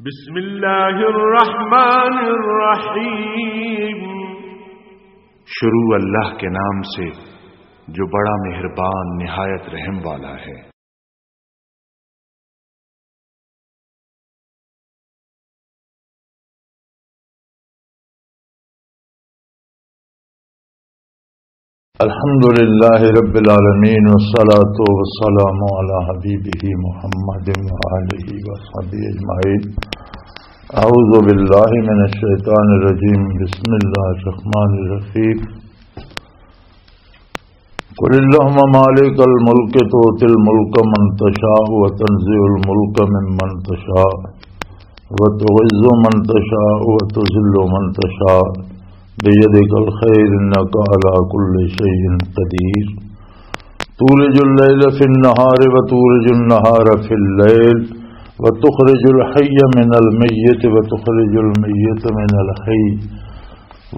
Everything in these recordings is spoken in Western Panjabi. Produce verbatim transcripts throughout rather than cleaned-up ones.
بسم اللہ الرحمن الرحیم۔ شروع اللہ کے نام سے جو بڑا مہربان نہایت رحم والا ہے۔ الحمد لله رب العالمين، والصلاة والسلام على حبيبه محمد وآله وصحبه أجمعين. أعوذ بالله من الشيطان الرجيم. بسم الله الرحمن الرحيم. قل اللهم مالك الملك تؤتي الملك من تشاء وتنزع الملك ممن تشاء وتعز من تشاء وتذل من تشاء بيدك الخير إنك على كل شيء قدير. تولج الليل في النهار وتولج النهار في الليل وتخرج الحي من الميت وتخرج الميت من الحي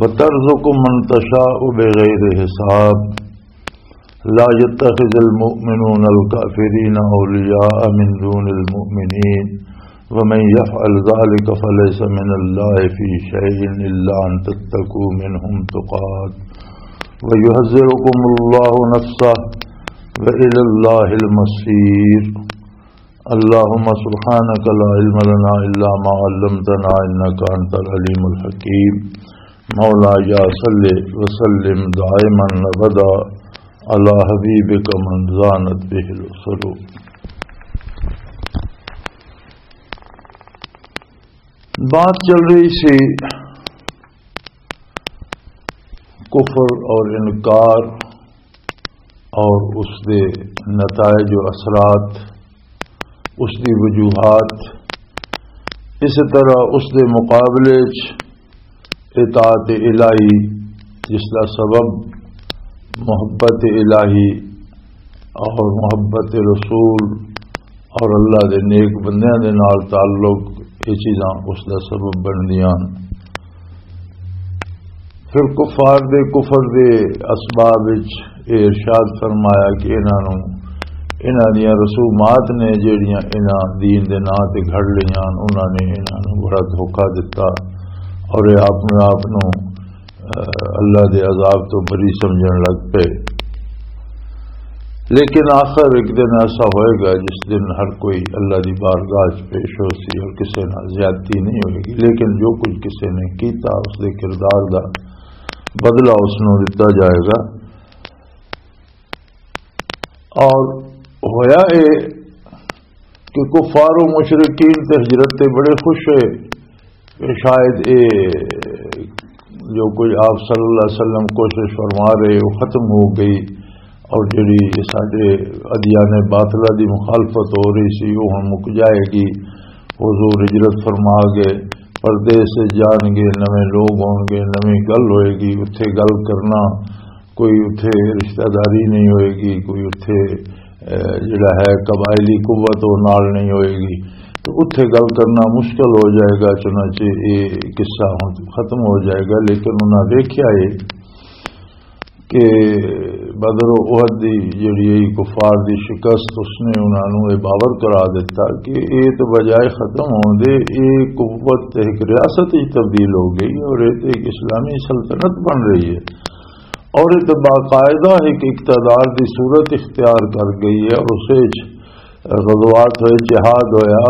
وترزق من تشاء بغير حساب. لا يتخذ المؤمنون الكافرين أولياء من دون المؤمنين ومن يفعل ذلك فليس من الله في شيء إلا أن تتقوا منهم تقاة ويحذركم الله نفسه وإلى الله المصير. اللهم سبحانك لا علم لنا إلا ما علمتنا إنك أنت العليم الحكيم. مولاي صل وسلم دائما أبدا على حبيبك من زانت به القلوب. بات چل رہی سی کفر اور انکار اور اس دے نتائج و اثرات، اس دی وجوہات، اس طرح اس دے مقابلے چ اطاعت الہی، جس دا سبب محبت الہی اور محبت رسول اور اللہ دے نیک بندیاں دے نال تعلق، یہ چیزاں اس دا سبب بندیاں۔ پھر کفار دے کفر دے اسباب وچ یہ ارشاد فرمایا کہ انہاں نوں، انہاں دیاں رسومات نے جڑیاں انہاں دین دے ناں تے گھڑ لیاں، انہاں نے انہاں نوں بڑا دھوکا دتا اور یہ اپنے آپ نوں، اہ، اللہ دے عذاب تو بری سمجھن لگ پئے۔ لیکن آخر ایک دن ایسا ہوئے گا جس دن ہر کوئی اللہ دی بارگاہ چ پیش ہو سی اور کسے نال زیادتی نہیں ہوئے گی، لیکن جو کچھ کسے نے کیتا اس دے کردار دا بدلہ اس نوں دتا جائے گا۔ اور ہویا اے کہ کفار و مشرکین تے ہجرت تے بڑے خوش ہوئے کہ شاید اے جو کوئی آپ صلی اللہ علیہ وسلم کوشش فرما رہے وہ ختم ہو گئی، اور جڑی ساڈے ادیان باطلہ دی مخالفت ہو رہی سی، وہ ہن مک جائے گی۔ حضور ہجرت فرما گئے، پردیس جان گے، نویں لوگ ہون گے، نویں گل ہوئے گی، اتھے گل کرنا، کوئی اتھے رشتہ داری نہیں ہوئے گی، کوئی اتھے، اے، جڑا ہے قبائلی قوت وہ نال نہیں ہوئے گی، تو اتھے گل کرنا مشکل ہو جائے گا۔ چنانچہ یہ قصہ ہن ختم ہو جائے گا۔ لیکن انہاں دیکھیا ہے کہ بدر و احد دی جڑی ہے کفار دی شکست، اس نے انہاں نوں یہ باور کرا دیتا کہ یہ تو بجائے ختم ہون دے، یہ قوت تے ایک ریاست وچ تبدیل ہو گئی اور یہ تے ایک اسلامی سلطنت بن رہی ہے اور یہ تو باقاعدہ ایک اقتدار دی صورت اختیار کر گئی ہے اور اسے وچ غزوات ہوئے، جہاد ہویا،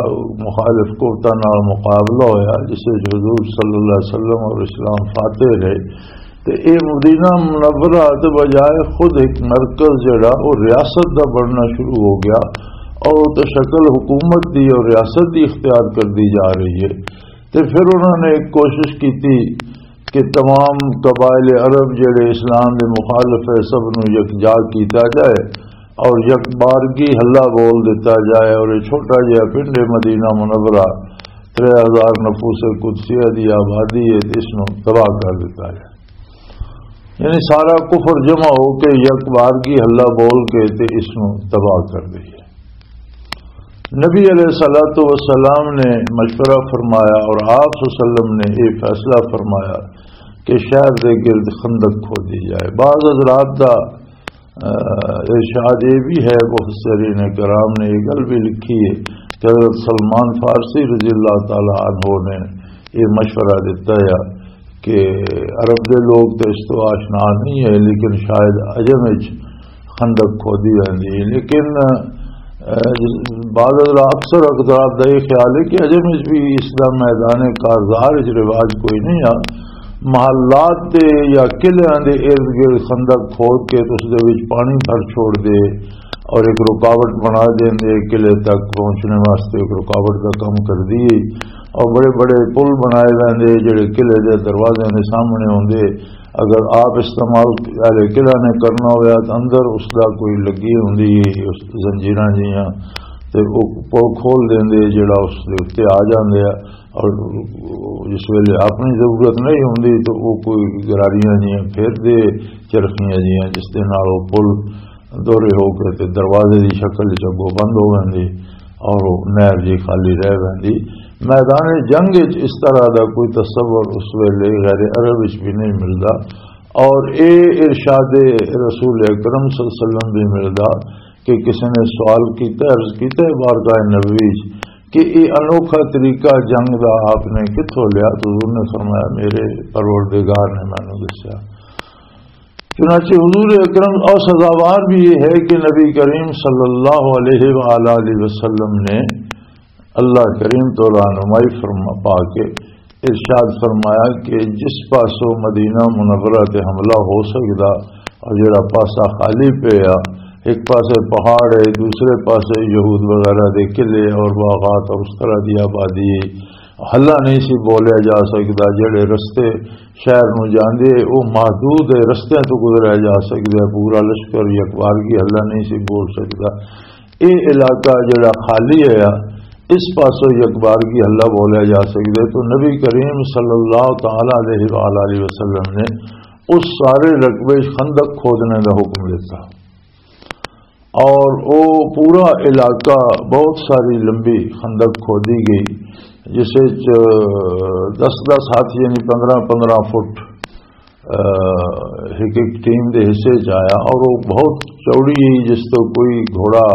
مخالف قوتاں نال مقابلہ ہویا، جس وچ حضور صلی اللہ علیہ وسلم اور اسلام فاتح رہے۔ تے اے مدینہ منورہ تے بجائے خود ایک مرکز جڑا او ریاست دا بننا شروع ہو گیا اور او تے شکل حکومت دی اور ریاست دی اختیار کر دی جا رہی ہے۔ تے پھر انہوں نے ایک کوشش کی تھی کہ تمام قبائل عرب جڑے اسلام دے مخالف ہے، سب نو یکجا کیتا جائے اور یک بارگی ہلا بول دیتا جائے اور یہ چھوٹا جہا پنڈ ہے مدینہ منورہ، ترے ہزار نفوس قدسیہ دی آبادی ہے، اس نو تباہ کر دیتا جائے۔ یعنی سارا کفر جمع ہو کے یک بارگی ہلا بول کے تے اس نو تباہ کر دئیے۔ نبی علیہ الصلوۃ والسلام نے مشورہ فرمایا اور آپ صلی اللہ علیہ وسلم نے یہ فیصلہ فرمایا کہ شہر دے گرد خندق کھودی جائے۔ بعض حضرات دا، آ، ارشاد یہ بھی ہے، مفسرین کرام نے یہ گل بھی لکھی ہے کہ حضرت سلمان فارسی رضی اللہ تعالی عنہ نے یہ مشورہ دیتا ہے کہ عرب دے لوگ تو اس تو آشنا نہیں ہے، لیکن شاید عجم وچ خندق کھودی ویندی ہے۔ لیکن، اہ، بعض حضرات، اکثر حضرات دا یہ خیال ہے کہ عجم وچ بھی اس دا میدان کارزار وچ رواج کوئی نہیں آ۔ محلات تے یا قلعیاں دے ارد گرد خندق کھود کے تے اس دے وچ پانی بھر چھوڑ دے اور ایک رکاوٹ بنا دین دے قلعے تک پہنچنے واسطے ایک رکاوٹ دا کم کر دیے۔ اور بڑے بڑے پل بنائے ویندے جڑے قلعے دے دروازے دے سامنے ہوندے۔ اگر آپ استعمال اہل قلعہ نے کرنا ہویا تو اندر اس دا کوئی لگی ہوندی ہے، اس زنجیراں جیاں، تے او پل کھول دیندے جڑا اس دے اُتے آ جاندے آ۔ اور جس ویلے اپنی ضرورت نہیں ہوندی تو وہ کوئی گراریاں جیاں پھر دے، چرخیاں جیاں، جس دے نال وہ پل دورے ہو کے تے دروازے دی شکل وچ اگوں بند ہو ویندے اور وہ نہر جی خالی رہ ویندی۔ میدان جنگ وچ اس طرح دا کوئی تصور اس ویلے غیر عرب وچ بھی نہیں ملدا۔ اور اے ارشاد رسول اکرم صلی اللہ علیہ وسلم بھی ملدا کہ کسی نے سوال کیتا، عرض کیتا ہے بارگاہ نبوی وچ کہ یہ انوکھا طریقہ جنگ دا آپ نے کتھوں لیا؟ تو حضور نے فرمایا، میرے پروردگار نے مینوں دسیا۔ چنانچہ حضور اکرم اور سزاوار بھی یہ ہے کہ نبی کریم صلی اللہ علیہ وآلہ وسلم نے اللہ کریم تو رہنمائی فرما پا کے ارشاد فرمایا کہ جس پاسوں مدینہ منورہ تے حملہ ہو سکدا اور جڑا پاسا خالی پیا، ایک پاسے پہاڑ ہے، دوسرے پاسے یہود وغیرہ دے قلعے اور باغات اور اس طرح دی آبادی ہے، حلا نہیں سی بولیا جا سکدا۔ جڑے رستے شہر نو جاندے، او محدود ہے، رستیاں تو گزریا جا سکدا ہے۔ پورا لشکر یکبارگی حلا نہیں سی بول سکدا۔ اے علاقہ جڑا خالی ہے، اس پاسوں یکبارگی حلا بولیا جا سکدا ہے۔ تو نبی کریم صلی اللہ تعالی علیہ وآلہ وسلم نے اس سارے رقبے وچ خندق کھودنے دا حکم دیتا۔ اور وہ پورا علاقہ، بہت ساری لمبی خندق کھودی گئی، جس وچ دس دس ہاتھ، یعنی پندرہ پندرہ فٹ، اہ، ایک ایک ٹیم دے حصے چ آیا۔ اور وہ بہت چوڑی ہے، جس تو کوئی گھوڑا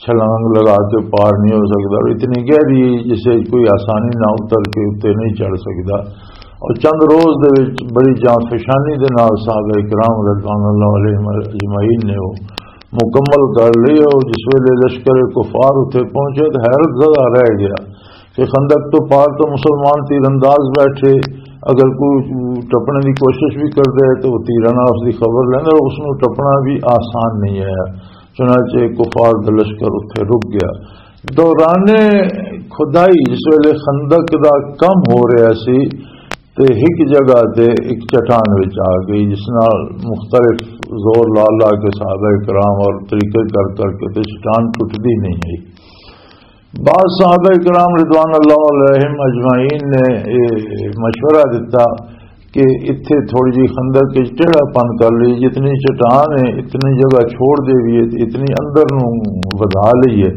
چھلانگ لگا کے پار نہیں ہو سکتا، اور اتنی گہری ہے، جس وچ کوئی آسانی نہ اتر کے اتنے نہیں چڑھ سکتا۔ اور چند روز دے وچ بڑی جان فشانی دے نال صحابہ کرام رضوان اللہ علیہم اجمعین نے وہ مکمل کر لی۔ اور جس ویلے لشکر کفار اتھے پہنچے تو حیرت زدہ رہ گیا کہ خندق تو پار تو مسلمان تیر انداز بیٹھے، اگر کوئی ٹپنے دی کوشش بھی کر دے تو وہ تیراں نال اس دی خبر لینا، اور اس نوں ٹپنا بھی آسان نہیں ہے۔ چنانچہ کفار دا لشکر اتھے رک گیا۔ دوران کھدائی جس ویلے خندق دا کم ہو رہا سی، تے ایک جگہ تے ایک چٹان وچ آ گئی، جس نال مختلف زور لا لا کے صحابہ کرام اور طریقے کر کر کے تے چٹان ٹوٹدی نہیں گئی۔ بعض صحابہ کرام رضوان اللہ علیہم اجمعین نے یہ مشورہ دیتا کہ اتھے تھوڑی جی خندق وچ ٹیڑھا پن کر لئی، جتنی چٹان ہے اتنی جگہ چھوڑ دے بھی ہے، اتنی اندر نوں ودھا لئی ہے،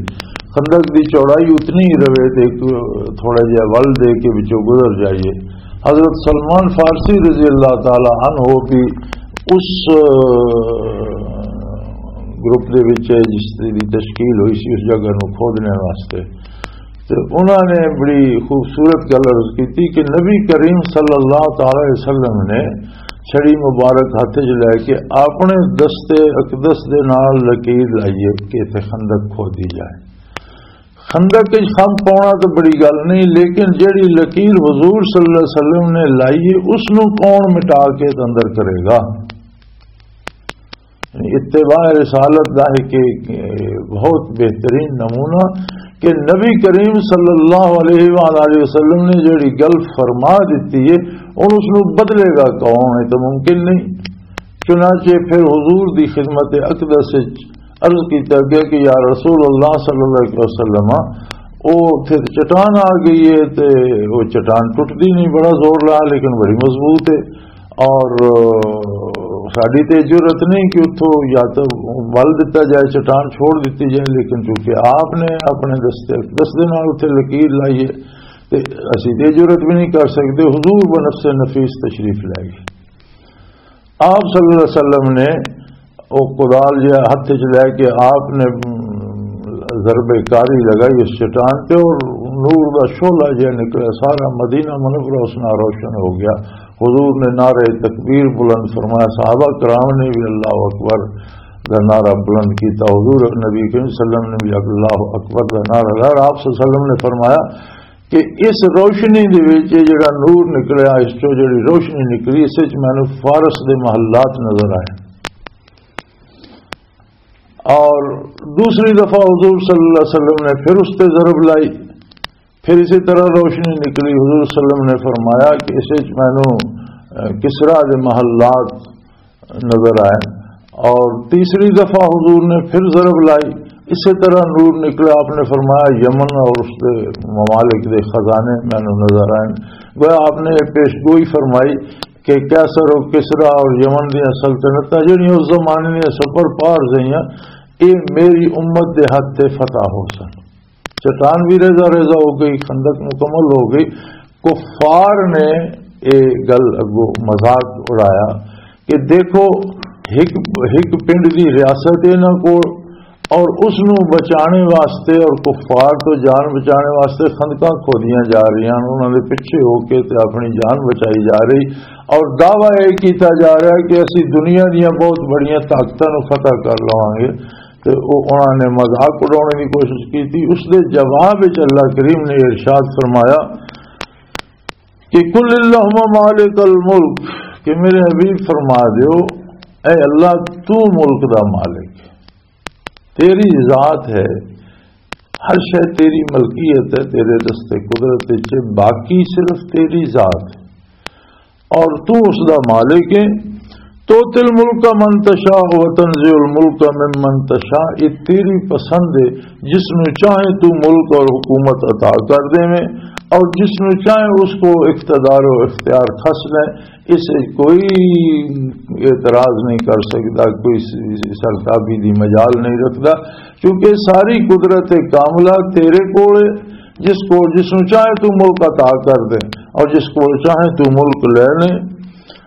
خندق دی چوڑائی اتنی ہی رہے تے ایک تھوڑا جہا ول دے کے وچوں گزر جائیے۔ حضرت سلمان فارسی رضی اللہ تعالی عنہ بھی اس، اہ، گروپ دے وچ ہے جس دی تشکیل ہوئی سی اس جگہ نوں کھودنے واسطے۔ تے انہاں نے بڑی خوبصورت گل عرض کیتی کہ نبی کریم صلی اللہ تعالی علیہ وسلم نے چھڑی مبارک ہاتھ وچ لے کے اپنے دستے اقدس دے نال لکیر لائی ہے کہ اتھے خندق کھودی جائے۔ خندق وچ خم پاؤنا تو بڑی گل نہیں، لیکن جڑی لکیر حضور صلی اللہ علیہ وسلم نے لائی ہے، اس نوں کون مٹا کے اندر کرے گا؟ یعنی اتباع رسالت دا ہے کہ بہت بہترین نمونہ کہ نبی کریم صلی اللہ علیہ وآلہ وسلم نے جڑی گل فرما دیتی ہے، ہن اس نوں بدلے گا کون؟ یہ تو ممکن نہیں۔ چنانچہ پھر حضور دی خدمت اقدس وچ عرض کیتا گیا کہ یا رسول اللہ صلی اللہ علیہ وسلم، او اتھے تے چٹان آ گئی ہے تے او چٹان ٹوٹدی نہیں، بڑا زور لایا لیکن بڑی مضبوط ہے۔ اور، اہ، ساڈی تے جرت نہیں کہ اتھوں یا تو ول دتا جائے، چٹان چھوڑ دتی جائے، لیکن چونکہ آپ نے اپنے دستے، دستے نال اتھے لکیر لائی ہے تے اسی تے جرت بھی نہیں کر سکتے۔ حضور بنفس نفیس تشریف لے گئے۔ آپ صلی اللہ علیہ وسلم نے وہ کدال جہا ہاتھ وچ لے کے آپ نے، ام، ضرب کاری لگائی اس چٹان تے اور نور دا شعلہ جہا نکلا، سارا مدینہ منورہ اس نال روشن ہو گیا۔ حضور نے نعرہ تکبیر بلند فرمایا، صحابہ کرام نے بھی اللہ اکبر دا نعرہ بلند کیتا، حضور نبی کریم صلی اللہ علیہ وسلم نے بھی اللہ اکبر دا نعرہ لایا۔ اور آپ صلی اللہ علیہ وسلم نے فرمایا کہ اس روشنی دے وچ یہ جڑا نور نکلیا، اس چوں جڑی روشنی نکلی، اس وچ مینوں فارس دے محلات نظر آئے۔ اور دوسری دفعہ حضور صلی اللہ علیہ وسلم نے پھر اس تے ضرب لائی، پھر اسی طرح روشنی نکلی۔ حضور صلی اللہ علیہ وسلم نے فرمایا کہ اس وچ مینوں، اہ، کسریٰ دے محلات نظر آئے۔ اور تیسری دفعہ حضور نے پھر ضرب لائی، اسی طرح نور نکلا۔ آپ نے فرمایا، یمن اور اس دے ممالک دے خزانے مینوں نظر آئے۔ گویا آپ نے یہ پیش گوئی فرمائی کہ قیصر و کسریٰ اور یمن دیاں سلطنتاں جڑیاں اس زمانے دیاں سپر پاور سیاں، یہ میری امت دے ہتھ تے فتح ہو سن۔ چٹان بھی ریزہ ریزہ ہو گئی، خندق مکمل ہو گئی۔ کفار نے یہ گل اگوں مذاق اڑایا کہ دیکھو، ہک، ہک پنڈ دی ریاست ہے انہاں کول، اور اس نو بچانے واسطے اور کفار تو جان بچانے واسطے خندقاں کھودیاں جا رہی ہیں، انہاں دے پیچھے ہو کے تے اپنی جان بچائی جا رہی، اور دعویٰ یہ کیتا جا رہا ہے کہ اسی دنیا دیاں بہت بڑیاں طاقتاں نو فتح کر لواں گے۔ تے او انہاں نے مذاق اڑانے دی کوشش کی تھی۔ اس دے جواب وچ اللہ کریم نے ارشاد فرمایا کہ "قل اللہم مالک الملک"، کہ میرے حبیب فرما دیو، اے اللہ، تو ملک دا مالک ہے، تیری ذات ہے، ہر شے تیری ملکیت ہے، تیرے دستے قدرت وچ ہے، باقی صرف تیری ذات ہے۔ اور تو اس دا مالک ہے۔ "تؤتی الملک من تشاء و تنزع الملک ممن تشاء"، یہ تیری پسند ہے، جس نو چاہے تو ملک اور حکومت عطا کر دے، اور جس نو چاہے اس کو اقتدار و اختیار کھس لے۔ اس وچ کوئی اعتراض نہیں کر سکتا، کوئی سرتابی دی مجال نہیں رکھتا، کیونکہ ساری قدرت کاملہ تیرے کول ہے۔ جس کو، جس نو چاہے تو ملک عطا کر دے، اور جس کو چاہے تو ملک لے لے۔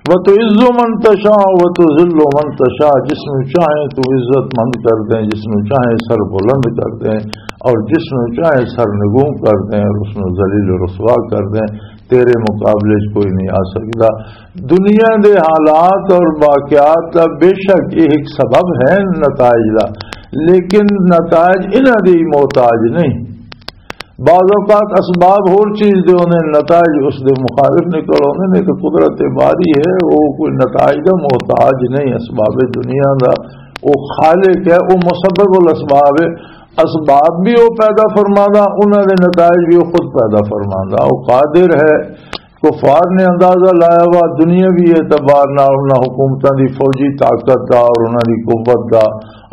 "وتعز من تشاء وتذل من تشاء"، جس نو چاہے تو عزت مند کر دیں، جس نو چاہے سر بلند کر دیں، اور جس نو چاہے سر نگوں کر دیں اور اس نو ذلیل و رسوا کر دیں، تیرے مقابلے وچ کوئی نہیں آ سکدا۔ دنیا دے حالات اور واقعات دا بے شک یہ ایک سبب ہے نتائج دا، لیکن نتائج انہاں دی محتاج نہیں۔ بعض اوقات اسباب ہور چیز دے ہوندے نے، نتائج اس دے مخالف نکل آوندے نے۔ تو قدرت باری ہے، وہ کوئی نتائج دا محتاج نہیں۔ اسباب دنیا دا وہ خالق ہے، وہ مسبب الاسباب ہے۔ اسباب بھی وہ پیدا فرماندا، انہاں دے نتائج بھی وہ خود پیدا فرماندا۔ وہ قادر ہے۔ کفار نے اندازہ لایا وا دنیاوی اعتبار نال، انہاں حکومتاں دی فوجی طاقت دا اور انہاں دی قوت دا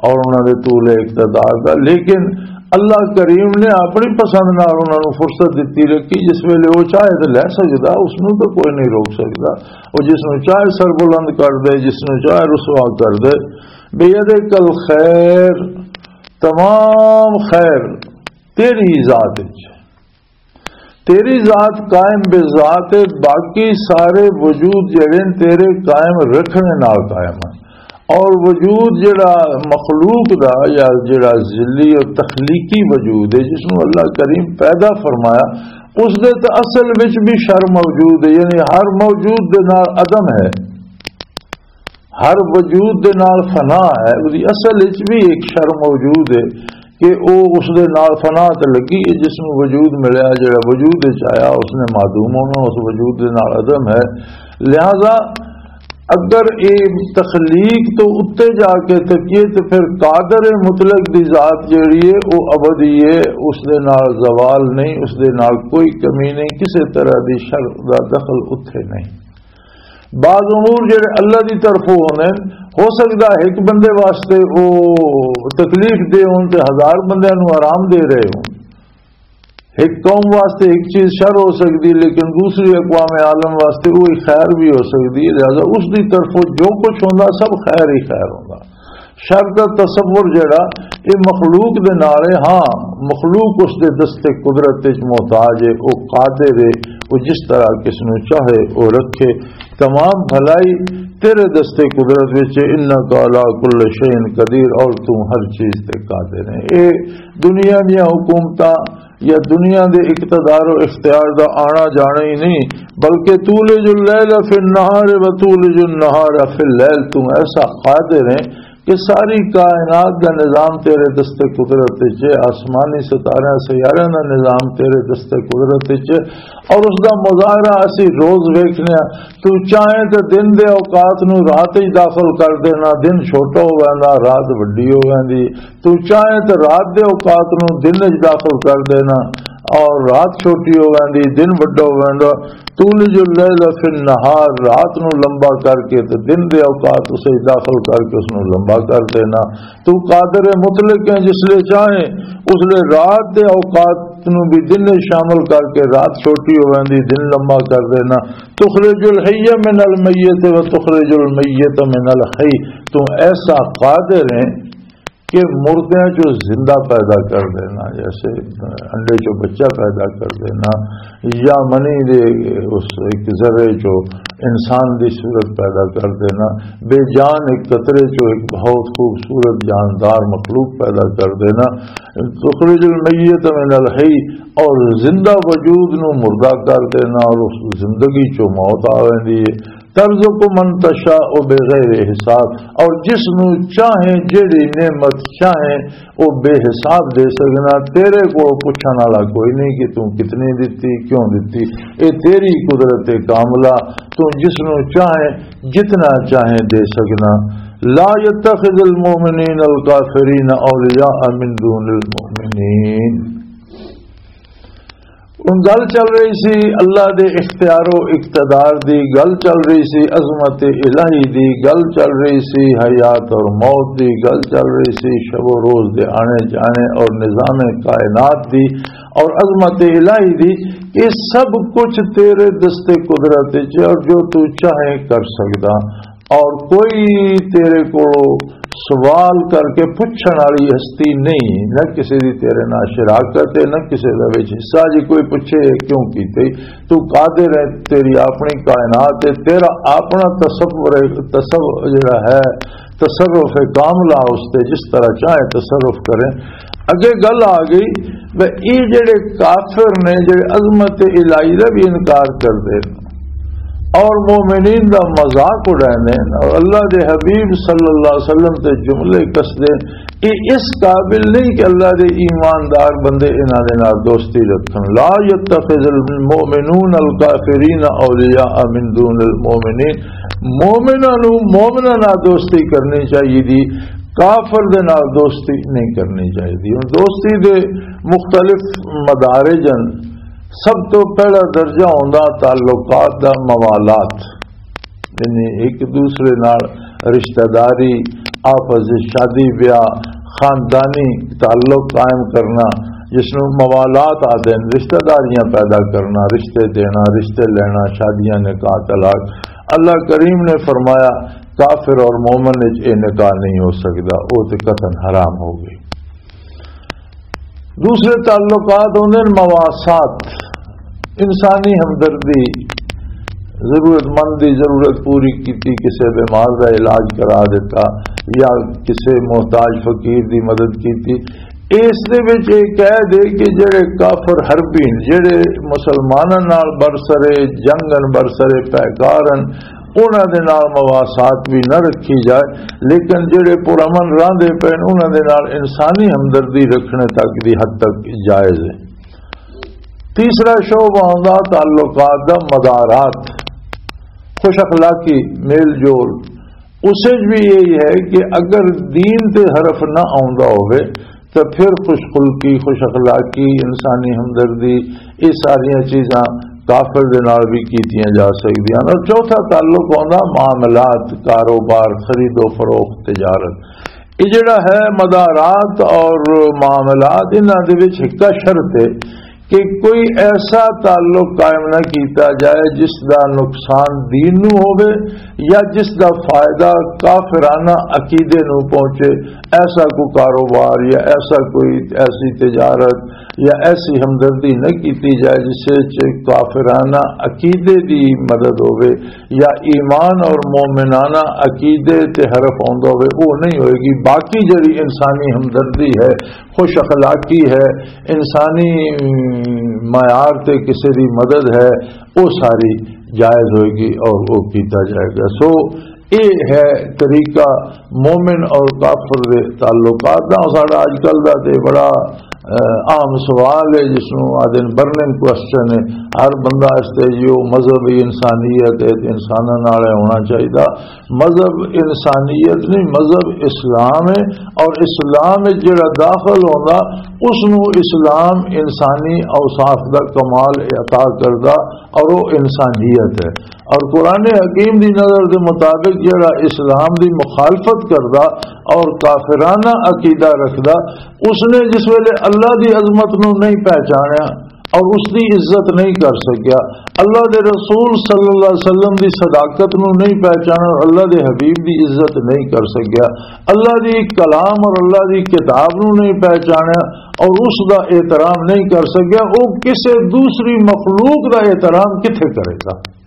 اور انہاں دے طول اقتدار دا، لیکن اللہ کریم نے اپنی پسند نال انہاں نوں فرصت دتی رکھی۔ جس ویلے وہ چاہے تے لے سکدا، اس نوں تے کوئی نہیں روک سکدا۔ وہ جس نوں چاہے سربلند کر دے، جس نوں چاہے رسوا کر دے۔ "بیدک الخیر"، تمام خیر تیری ذات وچ، تیری ذات قائم بذات ہے، باقی سارے وجود جڑے نے تیرے قائم رکھنے نال قائم ہیں۔ اور وجود جڑا مخلوق دا یا جڑا ذلی اور تخلیقی وجود ہے، جس نوں اللہ کریم پیدا فرمایا، اس دے تے اصل وچ بھی شر موجود ہے، یعنی ہر موجود دے نال عدم ہے۔ ہر وجود دے نال فنا ہے، اس دی اصل وچ بھی ایک شر موجود ہے کہ او اس دے نال فنا تے لگی ہے، جس نوں وجود ملیا، جڑا وجود وچ آیا، اس نے معدوم ہونا، اس وجود دے نال عدم ہے۔ لہذا اگر اے تخلیق تو اتے جا کے تکیے، تو پھر قادر مطلق دی ذات جڑی ہے، او ابدی ہے، اس دے نال زوال نہیں، اس دے نال کوئی کمی نہیں، کسے طرح دی شر دا دخل اتھے نہیں۔ بعض امور جڑے اللہ دی طرفوں ہوندے نے، ہو سکدا ہے ایک بندے واسطے او تکلیف دہ ہون تے ہزار بندیاں نوں آرام دے رہے ہون۔ ایک قوم واسطے ایک چیز شر ہو سکدی، لیکن دوسری اقوام عالم واسطے وہی خیر بھی ہو سکدی ہے۔ لہذا اس دی طرفوں جو کچھ ہوندا، سب خیر ہی خیر ہوندا۔ شر دا تصور جڑا، اے مخلوق دے نال ہے۔ ہاں، مخلوق اس دے دست قدرت وچ محتاج ہے، او قادر ہے، او جس طرح کس نوں چاہے او رکھے۔ تمام بھلائی تیرے دستے قدرت وچ، انک علی کل شیء قدیر، اور تو ہر چیز تے قادر ہے۔ اے دنیا دیاں حکومتاں یا دنیا دے اقتدار و اختیار دا آنا جانا ہی نہیں، بلکہ تولج اللیل فی النہار و تولج النہار فی اللیل، تو ایسا قادر ہے کہ ساری کائنات دا نظام تیرے دست قدرت وچ ہے، آسمانی ستارے سیارے دا نظام تیرے دست قدرت وچ ہے، اور اس دا مظاہرہ اسی روز ویکھنے ہاں۔ تو چاہے تے دن دے اوقات نو رات وچ داخل کر دینا، دن چھوٹا ہو ویندا، رات وڈی ہو ویندی۔ تو چاہے تے رات دے اوقات نو دن وچ داخل کر دینا اور رات چھوٹی ہو ویندی، دن وڈا ہو ویندا۔ تولج اللیل فی النہار، رات نو لمبا کر کے تے دن دے اوقات اسے داخل کر کے اس نو لمبا کر دینا۔ تو قادر مطلق ہے، جس لے چاہے اس لے رات دے اوقات نو بھی دن وچ شامل کر کے رات چھوٹی ہو ویندی، دن لمبا کر دینا۔ تخرج الحی من المیت و تخرج المیت من الحی، تو ایسا قادر ہے کہ مردیاں چوں زندہ پیدا کر دینا، جیسے انڈے چوں بچہ پیدا کر دینا، یا منی دے اس ایک ذرے چوں انسان دی صورت پیدا کر دینا، بے جان ایک قطرے چوں ایک بہت خوبصورت جاندار مخلوق پیدا کر دینا۔ تخرج المیت من الحی، اور زندہ وجود نو مردہ کر دینا اور اس زندگی چوں موت آ ویندی ہے۔ ترزق من تشاء بغیر حساب، اور جس نو چاہے، جیڑی نعمت چاہے، او بے حساب دے سکنا۔ تیرے کو پوچھن والا کوئی نہیں کہ تو کتنی دتی، کیوں دتی۔ اے تیری قدرت کاملہ، تو جس نو چاہے، جتنا چاہے دے سکنا۔ لا يتخذ المؤمنین الکافرین اولیاء من دون المؤمنین۔ ہن گل چل رہی سی اللہ دے اختیار و اقتدار دی، گل چل رہی سی عظمت الہی دی، گل چل رہی سی حیات اور موت دی، گل چل رہی سی شب و روز دے آنے جانے اور نظام کائنات دی اور عظمت الہی دی۔ یہ سب کچھ تیرے دست قدرت وچ ہے اور جو تو چاہے کر سکدا۔ اور کوئی تیرے کو سوال کر کے پوچھن والی ہستی نہیں، نہ کسی دی تیرے نال شراکت ہے، نہ کسی دا وچ حصہ۔ جی کوئی پوچھے، "یہ کیوں کیتے؟" تو قادر ہے، تیری اپنی کائنات ہے، تیرا اپنا تصور ہے، تصور جڑا ہے، تصرف کاملہ اس تے، جس طرح چاہے تصرف کرے۔ اگے گل آ گئی، وہ یہ جڑے کافر نے، جڑے عظمت الہی دا بھی انکار کر دے اور مومنین دا مذاق اڑائے نے اور اللہ دے حبیب صلی اللہ علیہ وسلم تے جملے کس دے، یہ اس قابل نہیں کہ اللہ دے ایماندار بندے انہاں دے نال دوستی رکھن۔ لا يتخذ المؤمنون الکافرین اولیاء من دون المؤمنین، مومناں نوں مومناں نال دوستی کرنی چاہیے دی، کافر دے نال دوستی نہیں کرنی چاہیے۔ ہن دوستی دے مختلف مدارج ہن۔ سب تو پہلا درجہ ہوندا تعلقات دا، موالات، یعنی ایک دوسرے نال رشتہ داری، آپس وچ شادی بیاہ، خاندانی تعلق قائم کرنا، جس نوں موالات آدھے ہیں، رشتہ داریاں پیدا کرنا، رشتے دینا، رشتے لینا، شادیاں، نکاح، طلاق۔ اللہ کریم نے فرمایا، کافر اور مومن وچ یہ نکاح نہیں ہو سکدا، وہ تے قطعاً حرام ہو گئی۔ دوسرے تعلقات ہوندے نے مواسات، انسانی ہمدردی، ضرورت مند دی ضرورت پوری کیتی، کسے بیمار دا علاج کرا دیتا یا کسے محتاج فقیر دی مدد کیتی۔ اس دے وچ یہ قید ہے کہ جڑے کافر حربی نے، جڑے مسلماناں نال برسرے جنگ ہن، برسرے پیکار ہن، انہاں دے نال مواسات بھی نہ رکھی جائے، لیکن جڑے پرامن راندے پے نے، انہاں دے نال انسانی ہمدردی رکھنے تک دی حد تک جائز ہے۔ تیسرا شعبہ آندا تعلقات دا، مدارات، خوش اخلاقی، میل جول۔ اس وچ بھی یہی ہے کہ اگر دین تے حرف نہ آندا ہوئے، تے پھر خوش خلقی، خوش اخلاقی، انسانی ہمدردی، یہ ساریاں چیزاں کافر دے نال بھی کیتیاں جا سکدیاں۔ اور چوتھا تعلق ہوندا معاملات، کاروبار، خرید و فروخت، تجارت۔ یہ جڑا ہے مدارات اور معاملات، انہاں دے وچ ایک شرط ہے کہ کوئی ایسا تعلق قائم نہ کیتا جائے جس دا نقصان دین نو ہووے یا جس دا فائدہ کافرانہ عقیدے نو پہنچے۔ ایسا کوئی کاروبار یا ایسا کوئی، ایسی تجارت یا ایسی ہمدردی نہ کیتی جائے جس وچ کافرانہ عقیدے دی مدد ہووے یا ایمان اور مومنانہ عقیدے تے حرف آوندا ہووے، وہ نہیں ہوئے گی۔ باقی جڑی انسانی ہمدردی ہے، خوش اخلاقی ہے، انسانی معیار تے کسے دی مدد ہے، وہ ساری جائز ہوئے گی اور وہ کیتا جائے گا۔ سو یہ ہے طریقہ مومن اور کافر دے تعلقات دا۔ ساڈا اج کل دا تے بڑا، اہ، عام سوال ہے جس نوں آدھے برننگ کوسچن ہے۔ ہر بندہ اس تے جو مذہب ہی انسانیت ہے تے انساناں نال ہونا چاہیے۔ مذہب انسانیت نہیں، مذہب اسلام ہے، اور اسلام وچ جڑا داخل ہوندا، اس نو اسلام انسانی اوصاف دا کمال عطا کردا، اور وہ انسانیت ہے۔ اور قرآن حکیم دی نظر دے مطابق جڑا اسلام دی مخالفت کردا اور کافرانہ عقیدہ رکھدا، اس نے جس ویلے اللہ دی عظمت نو نہیں پہچانیا، اور اس دی عزت نہیں کر سکیا، اللہ دے رسول صلی اللہ علیہ وسلم دی صداقت نو نہیں پہچانا اور اللہ دے حبیب دی عزت نہیں کر سکیا، اللہ دی کلام اور اللہ دی کتاب نو نہیں پہچانا اور اس دا احترام نہیں کر سکیا، وہ کسے دوسری مخلوق دا احترام کتھے کرے گا؟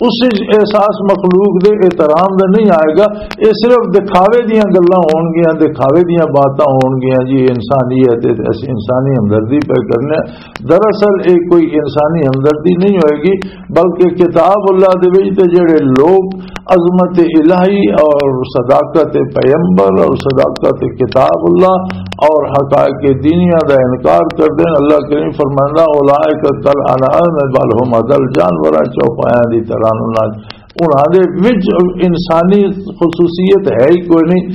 اس وچ احساس مخلوق دے احترام دا نہیں آئے گا۔ یہ صرف دکھاوے دیاں گلاں ہون گیاں، دکھاوے دیاں باتاں ہون گیاں جی، انسانیت ہے، اسی انسانی ہمدردی پہ کرنے۔ دراصل یہ کوئی انسانی ہمدردی نہیں ہوئے گی، بلکہ کتاب اللہ دے وچ تے جڑے لوگ عظمت الہی اور صداقت پیغمبر اور صداقت کتاب اللہ اور حقائق دینیہ دا انکار کر دین، اللہ کریم فرماندا، "اولئک کل انعام بل هم اضل"، جانوراں چوپایاں دی طرح انہاں دے وچ انسانی خصوصیت ہے ہی کوئی نہیں۔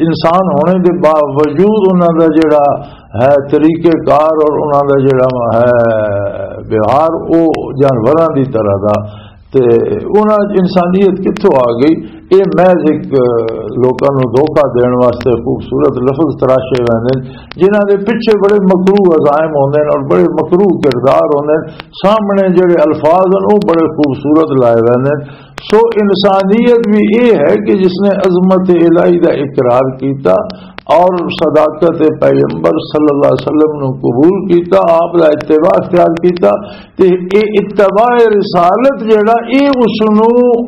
انسان ہونے دے باوجود انہاں دا جڑا ہے طریقہ کار اور انہاں دا جڑا ہے ویوہار، او جانوراں دی طرح دا۔ تے انہاں وچ انسانیت کتھوں آ گئی؟ اے محض ایک، لوکاں نوں دھوکا دین واسطے خوبصورت لفظ تراشے ویندے نے، جنہاں دے پیچھے بڑے مکروہ عزائم ہوندے نے اور بڑے مکروہ کردار ہوندے نے۔ سامنے جڑے الفاظ ہیں، وہ بڑے خوبصورت لائے ہوئے ہیں۔ سو انسانیت بھی یہ ہے کہ جس نے عظمت الہی دا اقرار کیتا اور صداقت پیغمبر صلی اللہ علیہ وسلم نو قبول کیتا، آپ دا اتباع اختیار کیتا، تے اے اتباع رسالت جڑا، اے اس نو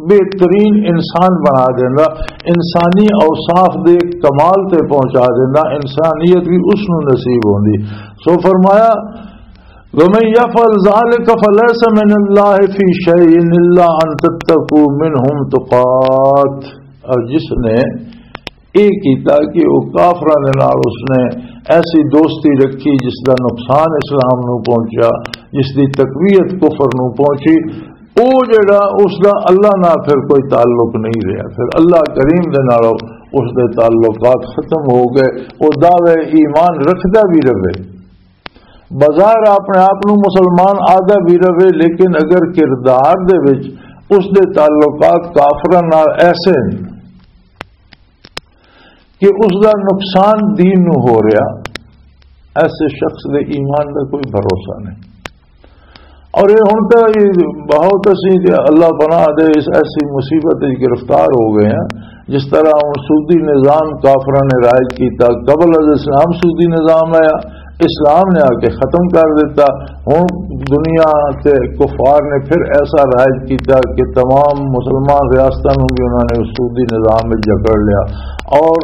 بہترین انسان بنا دیندا، انسانی اوصاف دے کمال تے پہنچا دیندا، انسانیت بھی اس نو نصیب ہوندی۔ سو فرمایا، وَمَن يَفْعَلْ ذَلِكَ فَلَيْسَ مِنَ اللَّهِ فِي شَيْءٍ إِلَّا أَن تَتَّقُوا مِنْهُمْ تُقَاتٍ۔ اور جس نے یہ کیتا کہ وہ کافراں دے نال اس نے ایسی دوستی رکھی جس دا نقصان اسلام نو پہنچا، جس دی تقویت کفر نو پہنچی، او جڑا اس دا اللہ نال پھر کوئی تعلق نہیں رہا، پھر اللہ کریم دے نال اس دے تعلقات ختم ہو گئے۔ وہ دعوے ایمان رکھدا بھی رہے، بظاہر اپنے آپ نو مسلمان آدھا بھی رہے، لیکن اگر کردار دے وچ اس دے تعلقات کافراں نال ایسے ہیں کہ اس دا نقصان دین نو ہو رہا، ایسے شخص دے ایمان دا کوئی بھروسہ نہیں۔ اور یہ ہن تو یہ بہت اسی کہ اللہ پناہ دے اس ایسی مصیبت وچ گرفتار ہو گئے ہیں، جس طرح ہن سودی نظام کافراں نے رائج کیتا، قبل از اسلام سودی نظام آیا، اسلام نے آ کے ختم کر دیتا۔ ہن دنیا تے کفار نے پھر ایسا رائج کیتا کہ تمام مسلمان ریاستاں نوں بھی انہوں نے سودی نظام وچ جکڑ لیا، اور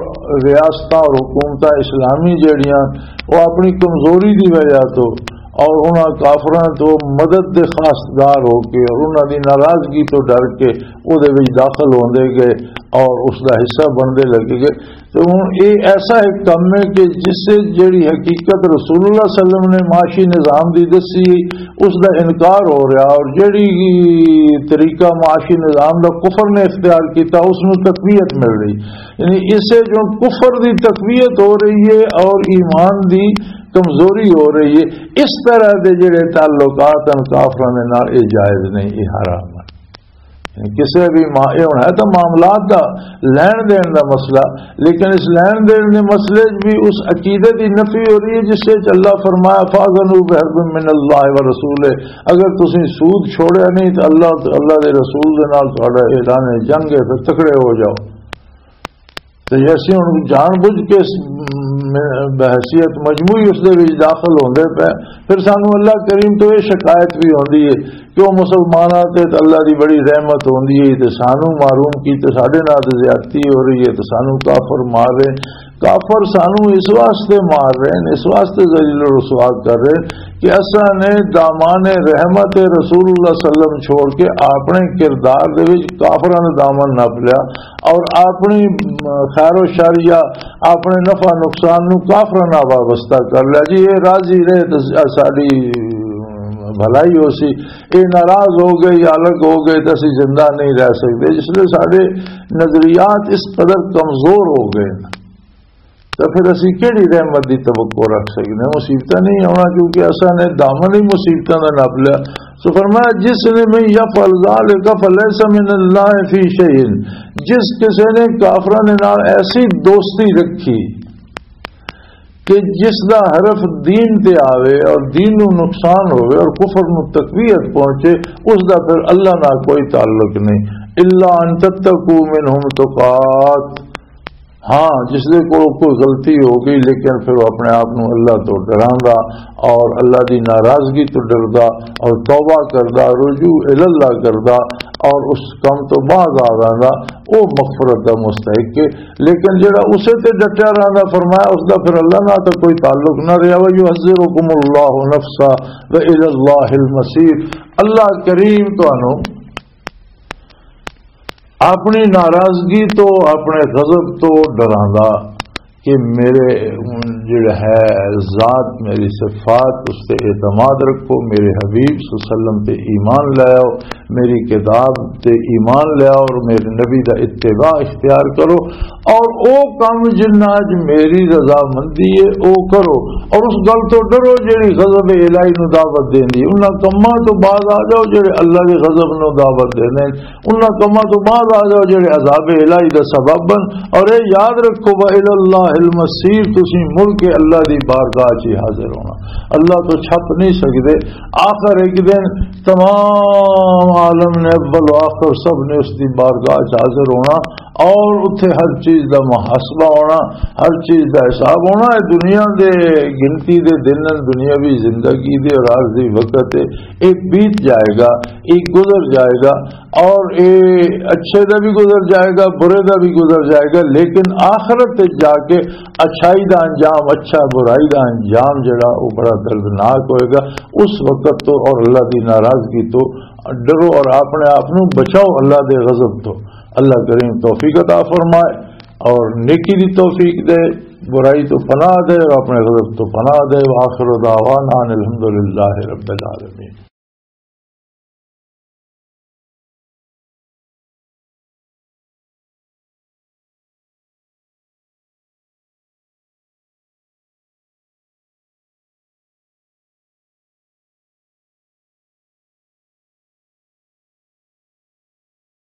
ریاستاں اور حکومتاں اسلامی جڑیاں، وہ اپنی کمزوری دی وجہ تو اور انہاں کافراں تو مدد دے خاصدار ہو کے اور انہاں دی ناراضگی تو ڈر کے او دے وچ داخل ہوندے گئے اور اس دا حصہ بندے لگے گئے۔ تو ہن اے ایسا ایک کم ہے کہ جس سے جڑی حقیقت رسول اللہ صلی اللہ علیہ وسلم نے معاشی نظام دی دسی، اس دا انکار ہو رہا، اور جڑی طریقہ معاشی نظام دا کفر نے اختیار کیتا، اس نوں تقویت مل رہی۔ یعنی اسے جو کفر دی تقویت ہو رہی ہے اور ایمان دی کمزوری ہو رہی ہے، اس طرح دے جڑے تعلقات ہیں کافراں دے نال، اے جائز نہیں، اے حرام ہے۔ کسے بھی ما-، یہ ہونا ہے تو معاملات دا، لین دین دا مسئلہ، لیکن اس لین دین دے مسئلے 'چ بھی اس عقیدے دی نفی ہو رہی ہے جس سے اللہ فرمایا، "فَأَذَنُوا بِحَرْبٍ مِّنَ اللَّهِ وَرَسُولِهِ"، اگر تسی سود چھوڑیا نہیں تو اللہ، اللہ دے رسول دے نال تہاڈا اعلان جنگ ہے، پھر تکڑے ہو جاؤ۔ تے ایسی ہن جان بوجھ کے اس م-، بحیثیت مجموعی اس دے وچ داخل ہوندے پے، پھر سانو اللہ کریم تو یہ شکایت بھی ہوندی ہے کہ وہ مسلماناں تے تے اللہ دی بڑی رحمت ہوندی ہے تے سانو محروم کیتے، ساڈے نال تے زیادتی ہو رہی ہے تے سانو کافر مار رہے ہیں۔ کافر سانو اس واسطے مار رہے ہیں، اس واسطے ذلیل و رسوا کر رہے ہیں کہ اساں نے دامان رحمت رسول اللہ صلی اللہ علیہ وسلم چھوڑ کے اپنے کردار دے وچ کافراں دا دامن نپ لیا اور اپنی، م، خیر و شر یا اپنے نفع نقصان نو کافراں نال وابستہ کر لیا۔ جی، یہ راضی رہے تے ساڈی بھلائی ہو سی، یہ ناراض ہو گئے یا الگ ہو گئے تے اسی زندہ نہیں رہ سکتے، جس لئے ساڈے نظریات اس قدر کمزور ہو گئے۔ تو پھر اسی کیڑی رحمت دی توقع رکھ سکتے ہیں؟ مصیبتاں نہیں آنا، کیونکہ اساں نے دامن ہی مصیبتاں دا نپ لیا۔ سو فرمایا، "جس نے من یفعل ذلک فلیس من اللہ فی شیء"، جس کسے نے کافراں دے نال ایسی دوستی رکھی کہ جس دا حرف دین تے آوے اور دین نو نقصان ہوئے اور کفر نو تقویت پہنچے، اس دا پھر اللہ نال کوئی تعلق نہیں۔ الا ان تتقوا منہم تقات، ہاں، جس دے کول کوئی غلطی ہو گئی، لیکن پھر وہ اپنے آپ نو اللہ تو ڈراندا اور اللہ دی ناراضگی تو ڈردا اور توبہ کردا، رجوع الی اللہ کردا اور اس کم تو باز آ ویندا، او مغفرت دا مستحق ہے۔ لیکن جڑا اسے تے ڈٹیا رہندا، فرمایا، اس دا پھر اللہ نال تو کوئی تعلق نہ رہیا۔ وَيُحَذِّرُكُمُ اللَّهُ نَفْسَهُ وَإِلَى اللَّهِ الْمَصِيرُ۔ اللہ کریم تانوں اپنی ناراضگی تو، اپنے غضب تو ڈراندا کہ میرے جڑا ہے ذات، میری صفات، اس تے اعتماد رکھو، میرے حبیب صلی اللہ علیہ وسلم تے ایمان لاؤ، میری کتاب تے ایمان لاؤ اور میرے نبی دا اتباع اختیار کرو، اور او کم جنہاں اچ میری رضامندی ہے او کرو، اور اس گل تو ڈرو جڑی غضب الہی نو دعوت دیندی ہے۔ انہاں کماں تو باز آ جاؤ جڑے اللہ دے غضب نو دعوت دیندے ہیں۔ انہاں کماں تو باز آ جاؤ جڑے عذاب الہی دا سبب بن۔ اور اے یاد رکھو، وَإِلَى اللَّهِ الْمَصِيرُ، تسی مڑ کے اللہ دی بارگاہ 'چ ہی حاضر ہونا، اللہ تو چھپ نہیں سکدے۔ آخر ایک دن تمام عالم نے، اول و آخر سب نے اس دی بارگاہ 'چ حاضر ہونا اور اتھے ہر چیز دا محاسبہ ہونا، ہر چیز دا حساب ہونا۔ اے دنیا دے گنتی دے دن ہن، دنیاوی زندگی دے اور عارضی وقت ہے، اے بیت جائے گا، اے گزر جائے گا، اور اے اچھے دا بھی گزر جائے گا، برے دا بھی گزر جائے گا، لیکن آخرت تے جا کے اچھائی دا انجام اچھا، برائی دا انجام جڑا، وہ بڑا دردناک ہوئے گا۔ اس وقت تو اور اللہ دی ناراضگی تو ڈرو اور اپنے آپ نو بچاؤ اللہ دے غضب تو۔ اللہ کریم توفیق عطا فرمائے اور نیکی دی توفیق دے، برائی تو پناہ دے اور اپنے غضب تو پناہ دے۔ وآخر دعوانا ان الحمدللہ رب العالمین۔